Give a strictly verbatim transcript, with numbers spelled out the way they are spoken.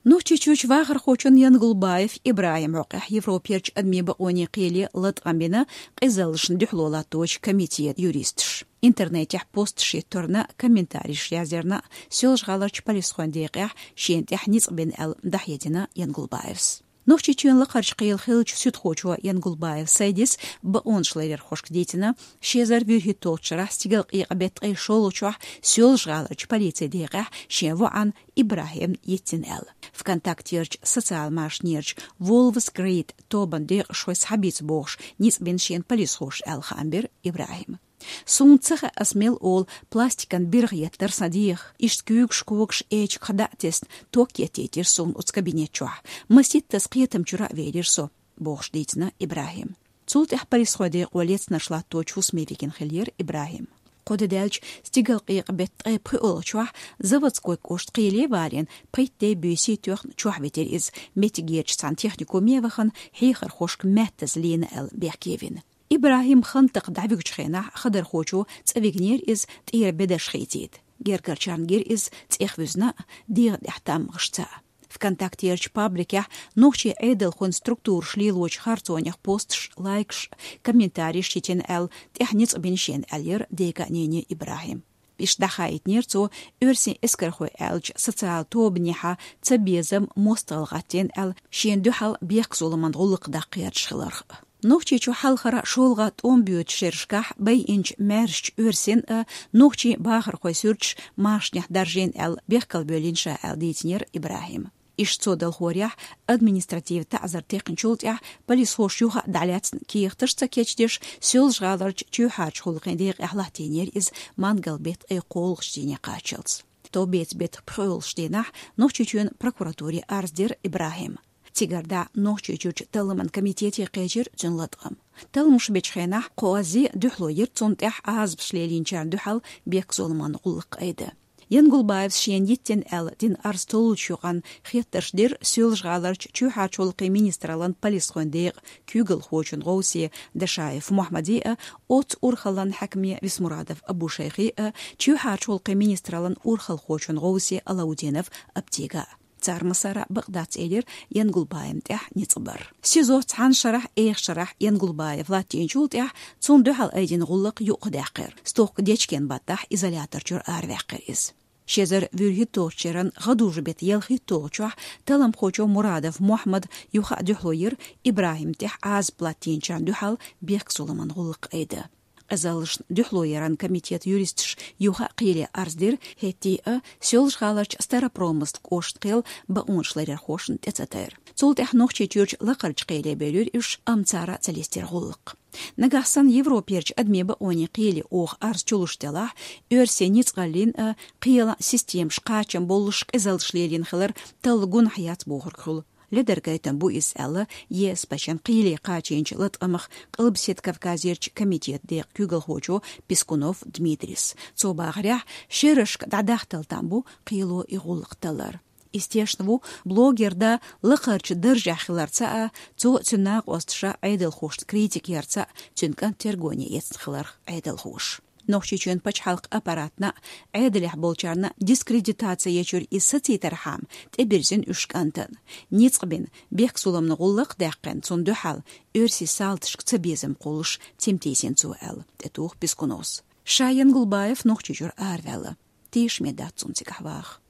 Нохчийчуьрчу вахархочун Янгулбаев ИбрахӀима хьокъехь Европерчу адамийн бакъонийн кхеле латкъам бина къизаллашна дуьхьало латточу комитетан юристаш. Интернетехь посташ йитторна, комментареш язъярна, Соьлжа-ГӀаларчу полисхойн декъехь шена тӀехь ницкъ бина аьлла дӀахьедина Янгулбаевс. Нохчийчоьнан лакхарчу кхеле хиллачу суьдхочо Янгулбаев Сайдис бакъонашларъярхошка дийцина, ши эзар вуьрхӀитталгӀачу шарахь стигалкъекъа беттан ткъе шолгӀачохь Соьлжа-ГӀаларчу полицин декъехь шен воӀан ИбрахӀимна йитина аьлла. ВКонтактерчу социал машанерчу Wolves Grid тобанан декъашхой схьабийца бохуш ницкъ бина шена полисхоша аьлла хаам бира ИбрахӀима. Суна ца хаьа, ас мел олу пластикан биргӀа еттара сан дегӀах. Иштта куьйгаш, когаш эчигах дӀа а тесна, ток еттийтира суна оцу кабинет чохь. Маситтаза кхетам чуьра а велира со, бохуш дийцина ИбрахӀима. Цул тӀаьхьа полисхойн декъо лецнарш латточу хӀусаме вигина хиллера ИбрахӀим. Кхо де даьлча стигалкъекъа беттан ткъе пхоьалгӀачохь Заводской кӀоштан кхеле а валийна, пхийтта де буьйса тоьхна чохь витира иза, меттигерчу цхьана техникуме а вахана, хьехархошка маьттаза лийна аьлла бехке вина. ИбрахӀим хан такха дӀавуьгучу хенахь хадархочо цӀа вигнера иза, тӀера бедарш хийцийта. Гергарчарна гира иза цӀех вуьзна а, дегӀан тӀехь таммагӀаш ца а. ВКонтактерчу пабликехь нохчийн Ӏедалхойн структураша лелочу харцонех посташ, лайкаш, комментареш йитина аьлла, тӀехь ницкъ бина шена аьллера дега а, нене а ИбрахӀима. Иштта дӀахаийтинера цо оьрсийн эскархой аьллачу социал тобанехьа цабезам, мостагӀалла гӀаттийна аьлла, шена дуьхьал бехк-зуламан гӀуллакх даккха гӀерташ хиларх. Нохчийчу хьалхара шолгӀа тӀом боьдучу шерашкахь байинчу маьршачу оьрсийн а, нохчийн бахархойн суьрташ машанехь даржийна аьлла, бехкал бевллина ша аьлла дийцинера ИбрахӀима. Иштта цо делхорехь, административан таӀзар текхначул тӀаьхьа полисхоша юха а дӀалаьцна, кехаташ а ца кечдеш, Соьлжа-ГӀаларчу чоьхьарчу гӀуллакхийн декъехь латтийнера иза мангал беттан ткъе кхоалгӀачу дийне кхаччалц. Товбеца беттан пхоьалгӀачу дийнахь Нохчийчоьнан прокуратуре арз дира ИбрахӀима. Цигара дӀа Нохчийчуьрчу талламан комитете кхечира цуьнан латкъам. Талламаш бечу хенахь кхо оьзда дуьхьало йира цунна тӀехь Ӏазапаш лелийначарна дуьхьал бехк-зуламан гӀуллакх айда. Янгулбаевс шена йиттина аьлла дина арз толлучу юкъанна хеттарш дира Соьлжа-ГӀаларчу чоьхьарчу гӀуллакхийн министраллан полисхойн декъан куьйгалхочун гӀовсе Дашаев Мухьаммаде а, оццу урхаллан хьаькаме Висмурадов Абушайхе а, чоьхьарчу гӀуллакхийн министраллан урхалхочун гӀовсе Алаудинов Аптига а. Цара массара а бакъ дац элира Янгулбаевна тӀехь ницкъ бар. СИЗО цхьана шарахь, эха шарахь Янгулбаев латтийначул тӀаьхьа цунна дуьхьал айдина гӀуллакх юкъадаьккхира. Стохка дечкен баттахь изолятор чуьра араваьккхира иза. Ши эзар вуьрхӀитталгӀачу шеран гӀадужу беттан ялхитталгӀачохь талламхочо Мурадов Мухьаммада юха а дуьхьало йира ИбрахӀима тӀехь Ӏазап латтийначарна дуьхьал бехк-зуламан гӀуллакх айда. Къизаллашна дуьхьалояран комитетан юристаш юха а кхеле арз дира, хӀетте а Соьлжа-ГӀаларчу Старопромыслан кӀоштан кхел бакъонашларъярхошна тӀе ца тайра. Цул тӀаьхьа Нохчийчуьрчу лакхарчу кхеле бевлира уьш, амма цара а ца листира гӀуллакх. Нагахь санна Европерчу адамийн бакъонийн кхеле оха арз чулуш делахь, оьрсийн ницкъаллин а, кхелан системаш кхачам боллуш къизаллаш лелийна хилар талла гунахь яц бохург хуьлу. Ледар гайтам бу иза аьлла, ЕСПЧ-н кхеле кхачийначу латкъамах Къилбаседа Кавказерчу комитетан декъан куьйгалхочо Пискунов Дмитрис. Цо бахарехь, шерашка дӀадахталла там бу кхело и гӀуллакх таллар. Иза тешна ву блогер да лакхарчу даржехь хиларца а, цо а, цуьнан накъосташа Ӏедалхошца критика ярца а, цуьнан кӀант тергоне эцна хиларх Ӏедалхоша. Нохчийчоьнан пачхьалкхан аппаратна а, Ӏедалехь болчарна дискредитаци ечуьра иза сацийтархьама, тӀебирзина уьш кӀантана. Ницкъ бина, бехк-зуламан гӀуллакх а даьккхина цунна дуьхьал, оьрсийн салташка цабезам кхуллуш цамтийсина цо аьлла, тӀетуху Пискуновс. Ша Янгулбаев Нохчийчуьра араваьлла. Тешаме дац цунна цигахь ваха.